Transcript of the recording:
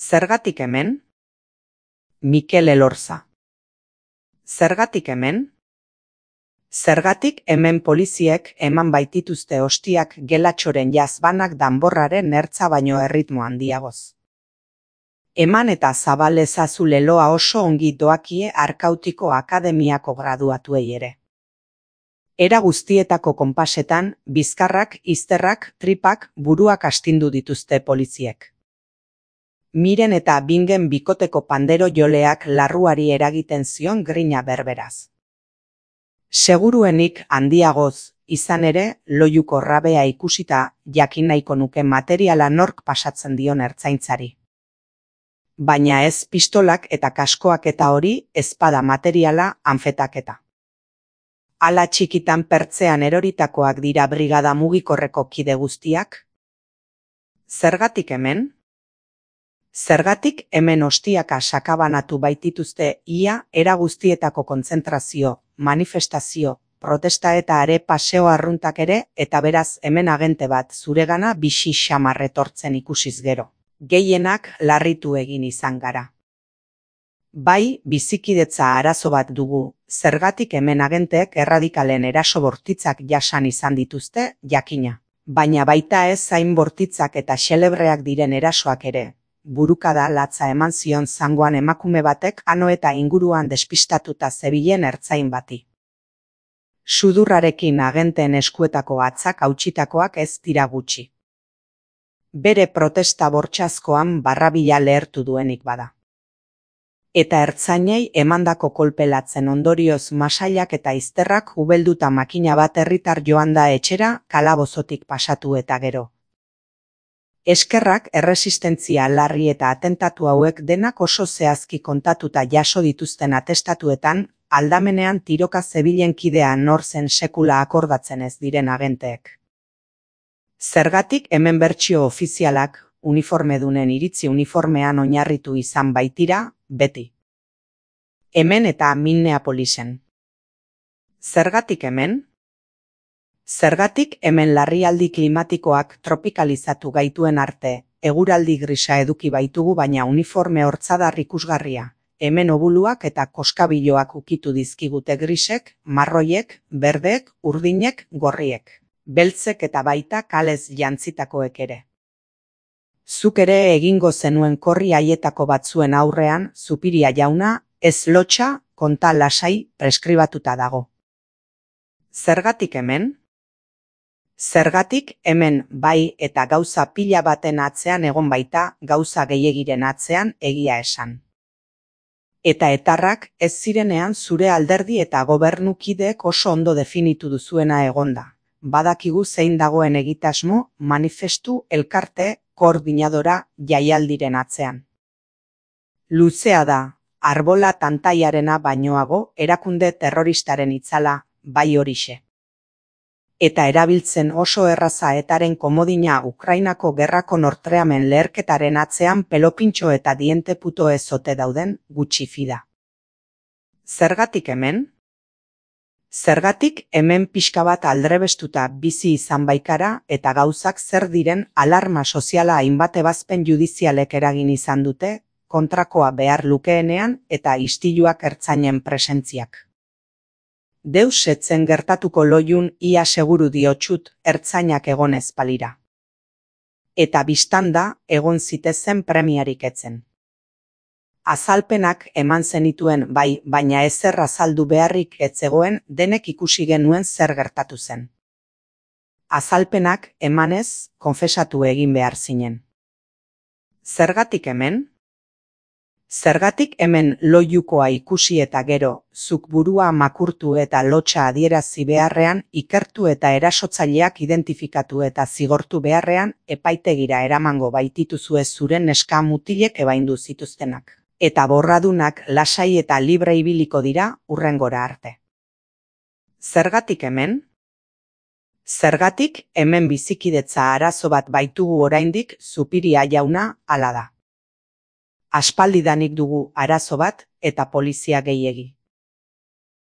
Zergatik hemen? Mikel Elorza. Zergatik hemen? Zergatik hemen poliziek eman baitituzte ostiak gelatxoren jazbanak danborraren ertza baino erritmo handiagoz. Eman eta zabal ezazu leloa oso ongi doakie Arkautiko Akademiako graduatuei ere. Era guztietako konpasetan, bizkarrak, izterrak, tripak, buruak astindu dituzte poliziek. Miren eta Bingen bikoteko pandero joleak larruari eragiten zion grina berberaz. Seguruenik handiagoz, izan ere, loiuko rabea ikusita jakin nahiko nuke materiala nork pasatzen dion ertzaintzari. Baina ez pistolak eta kaskoak eta hori ezpada materiala anfetaketa. Ala txikitan pertzean eroritakoak dira brigada mugikorreko kide guztiak? Zergatik hemen? Zergatik hemen ostiaka sakabanatu baitituzte ia era guztietako kontzentrazio, manifestazio, protesta eta are paseo arruntak ere eta beraz hemen agente bat zuregana bixi xamar etortzen ikusiz gero. Gehienak larritu egin izan gara. Bai, bizikidetza arazo bat dugu, zergatik hemen agenteek erradikalen eraso bortitzak jasan izan dituzte, jakina. Baina baita ez zain bortitzak eta xelebreak diren erasoak ere. Burukada latza eman zion zangoan emakume batek ano eta inguruan despistatuta zebilen ertzain bati. Sudurrarekin agenteen eskuetako atzak hautsitakoak ez dira gutxi. Bere protesta bortxazkoan barrabila lehertu duenik bada. Eta ertzainei emandako kolpelatzen ondorioz masailak eta izterrak ubelduta makina bat herritar joan da etxera kalabozotik pasatu eta gero. Eskerrak erresistentzia larri eta atentatu hauek denak oso zehazki kontatuta jaso dituzten atestatuetan, aldamenean tiroka zebilen kidea nor zen sekula akordatzen ez diren agenteek. Zergatik hemen bertsio ofizialak, uniformedunen iritzi uniformean oinarritu izan baitira, beti. Hemen eta Minneapolisen. Zergatik hemen? Zergatik hemen larrialdi klimatikoak tropikalizatu gaituen arte, eguraldi grisa eduki baitugu baina uniforme hortzadar ikusgarria, hemen obuluak eta koskabiloak ukitu dizkigute grisek, marroiek, berdeek, urdinek, gorriek, beltzek eta baita kalez jantzitakoek ere. Zuk ere egingo zenuen korri haietako batzuen aurrean, Zupiria jauna, ez lotxa, konta lasai preskribatuta dago. Zergatik hemen? Zergatik hemen bai eta gauza pila baten atzean egon baita gauza gehiegiren atzean egia esan. Eta etarrak ez zirenean zure alderdi eta gobernukideek oso ondo definitu duzuena egonda. Badakigu zein dagoen egitasmo, manifestu, elkarte, koordinadora jaialdiren atzean. Luzea da, arbola tantaiarena bainoago erakunde terroristaren itzala, bai horixe. Eta erabiltzen oso erraza etaren komodina Ukrainako gerrako nortreamen leherketaren atzean pelopintxo eta diente puto ezote dauden gutxi fida. Zergatik hemen? Zergatik hemen pixka bat aldrebestuta bizi izan baikara eta gauzak zer diren alarma soziala hainbat ebazpen judizialek eragin izan dute, kontrakoa behar lukeenean eta istiluak ertzainen presentziak. Deus etzen gertatuko loiun ia seguru diotxut ertzainak egon ezpalira. Eta biztanda egon zitezen premiarik etzen. Azalpenak eman zenituen bai, baina ezer azaldu beharrik etzegoen denek ikusi genuen zer gertatu zen. Azalpenak emanez konfesatu egin behar zinen. Zergatik hemen? Zergatik hemen loiukoa ikusi eta gero, zuk burua makurtu eta lotxa adierazi beharrean, ikertu eta erasotzaileak identifikatu eta zigortu beharrean, epaitegira eramango baitituzue zuren neska mutilek ebaindu zituztenak. Eta borradunak lasai eta libre ibiliko dira hurrengora arte. Zergatik hemen? Zergatik hemen bizikidetza arazo bat baitugu oraindik Zupiria jauna hala da. Aspaldidanik dugu arazo bat eta polizia gehiegi.